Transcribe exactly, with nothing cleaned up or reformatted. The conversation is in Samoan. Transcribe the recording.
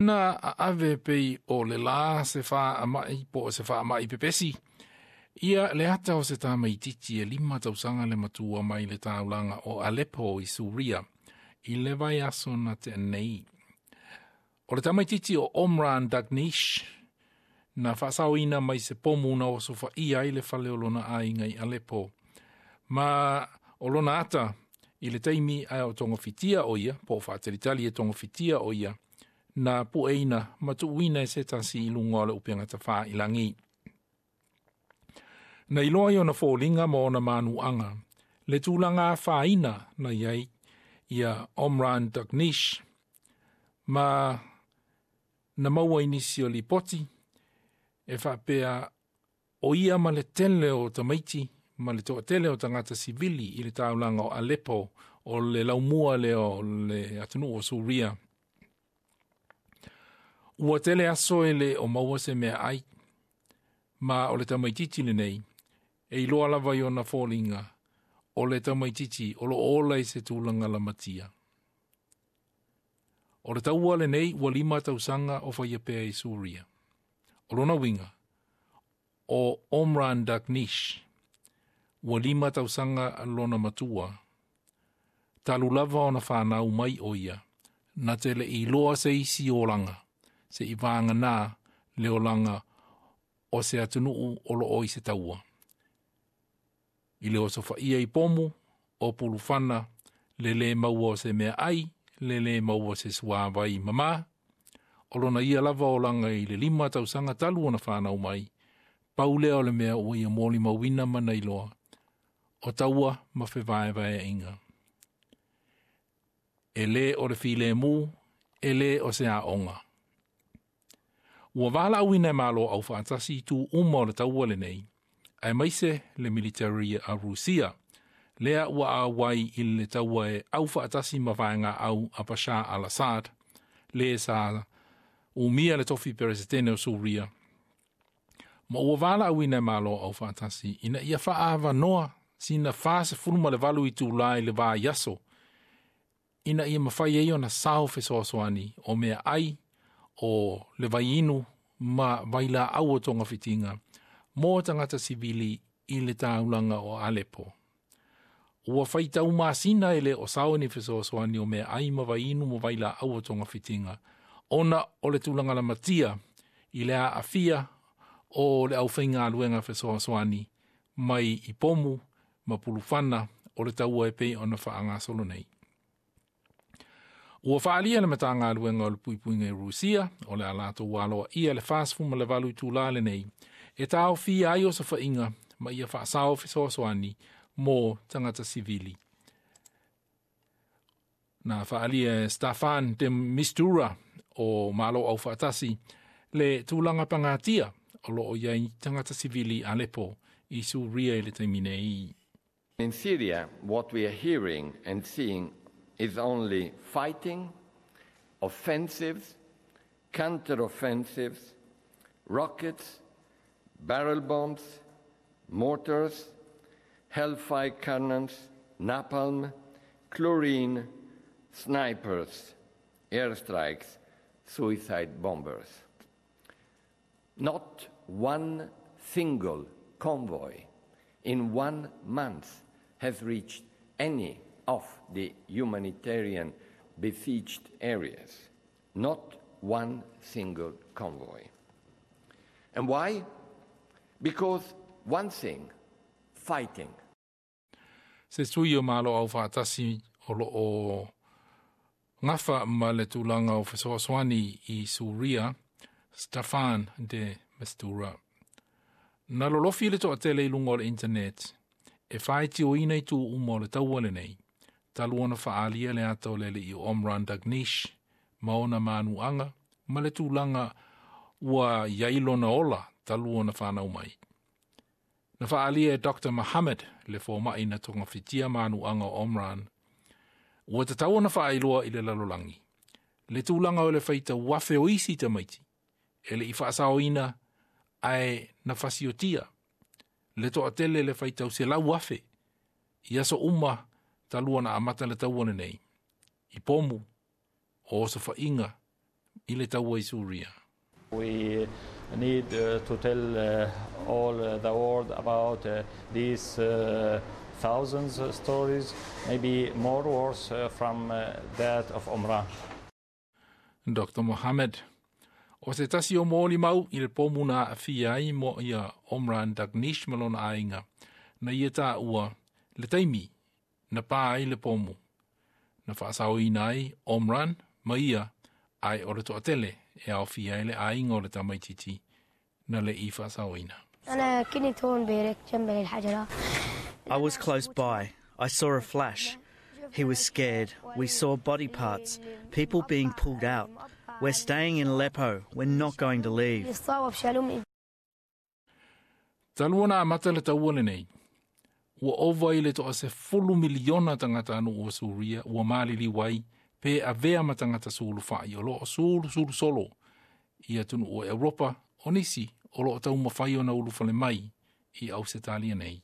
Na ave pei o le la se faama'i po o se faama'i pepesi. Ia le ata o se tamaititi e lima tausaga le matua mai le taulaga o Aleppo i Suria i le vaiaso na tea nei. O le tamaititi o Omran Daqneesh na faasaoina mai se pomu na osofaia ai le fale o lona aiga i Aleppo. Ma o lona ata i le taimi ae o togafitia o ia, po o faatalitali e togafitia o ia, na pueina ma tuuina e se tasi i luga o le upega tafailagi. Na iloa i ona foliga ma ona manuaga, le tulaga afaina na i ai ia Omran Daqneesh, ma na maua i nisi o lipoti, e faapea o ia ma le tele o tamaiti ma le toatele o tagata sivili i le taulaga o Aleppo o le laumua lea o le atunuu o Suria. Ua tele aso e le o maua se meaai, ma o le tamaititi lenei, e iloa lava i ona foliga, o le tamaititi o lo ola i se tulaga lamatia. O le taua lenei ua lima tausaga o faia pea i Suria. O lona uiga, o Omran Daqneesh, ua lima tausaga lona matua. Talu lava ona fanau mai o ia, na te le iloa se isi olaga, se i vagana le olaga o se atunuu o lo o i se taua. I le osofaia i pomu, o pulufana, le le maua o se meaai, le le maua o se suavai mama, o lona ia lava olaga i le lima tausaga talu ona fanau mai, pau lea o le mea ua ia molimauina ma na iloa, o taua ma fevaevaeaiga. E le o le filemu, e le o se aoga. Ua valaauina e Malo Aufaatasi i tu uma o le taua lenei, aemaise le military a Rusia, lea ua auai i le taua e aufaatasi ma vaegaau a Bashar al-Assad, le sa umia le tofi peresetene o Suria. Ma ua valaauina e Malo Aufaatasi ina ia faaavanoa sina fasefulu ma le valu itulā i le vaiaso, ina ia mafai ai ona sao fesoasoani o meaai o le vaiinu ma vailaau o togafitiga mo tagata sivili i le taulaga o Aleppo. Ua faitau masina e le o sao ni fesoasoani o meaai ma vaiinu ma vailaau o togafitiga, ona o le tulaga lamatia i le aafia o le aufaigaluega fesoasoani mai i pomu ma pulufana o le taua e pei ona faagasolo nei. Ua faaalia le Matagaluega o le Puipuiga i Rusia, o le a latou aloaia le fasefulu ma le valu itulā lenei, e taofia ai osofaiga ma ia faasao fesoasoani mo tagata sivili. Na faaalia e Staffan de Mistura o Malo Aufaatasi le tulaga pagatia o lo o i ai tagata sivili Aleppo i Suria i le taimi nei. In Syria, what we are hearing and seeing is only fighting, offensives, counter-offensives, rockets, barrel bombs, mortars, hellfire cannons, napalm, chlorine, snipers, airstrikes, suicide bombers. Not one single convoy in one month has reached any of the humanitarian besieged areas. Not one single convoy. And why? Because one thing, fighting. Se sui o Malo Aufaatasi o lo o gafa ma le tulaga o fesoasoani i Suria, Staffan de Mistura. Na lolofi le toatele i luga o le internet, e faitioina i tu uma o le taua lenei, talu ona faaalia le ata o le alii o Omran Daqneesh, ma ona manuaga, ma le tulaga ua i ai lona ola talu ona fanau mai. Na faaalia e Doctor Mohammed le fomai na togafitia manuaga o Omran, ua tatau ona faailoa i le lalolagi, le tulaga o le faitau afe o isi tamaiti, e le i faasaoina ae na fasiotia, le toatele le faitau selau afe, i aso uma talu ona amata le taua lenei, i pomu, o osofaiga, I le taua i Suria. We need uh, to tell uh, all uh, the world about uh, these uh, thousands of stories, maybe more worse uh, from uh, that of Omran. Doctor Mohammed. O se tasi o molimau i le pomu na aafia ai mo ia Omran Daqneesh ma lona aiga. Na ia taua le taimi na pā ai le pomu. Na faasaoina ai Omran ma ia ae o le toatele e aofia ai le aiga o le tamaititi na le i faasaoina. أنا كنت هون بيرك جنب الحجرة. I was close by. I saw a flash. He was scared. We saw body parts, people being pulled out. We're staying in Aleppo. We're not going to leave. صوب شالوه من Talu ona amata le taua lenei. Ua ova i le toasefulu miliona tagatanuu o Suria ua maliliu ai pe avea ma tagata sulufai o loo sulusulu solo i atunuu o Europa o nisi o loo taumafai ona ulufale mai i Ausetalia nei.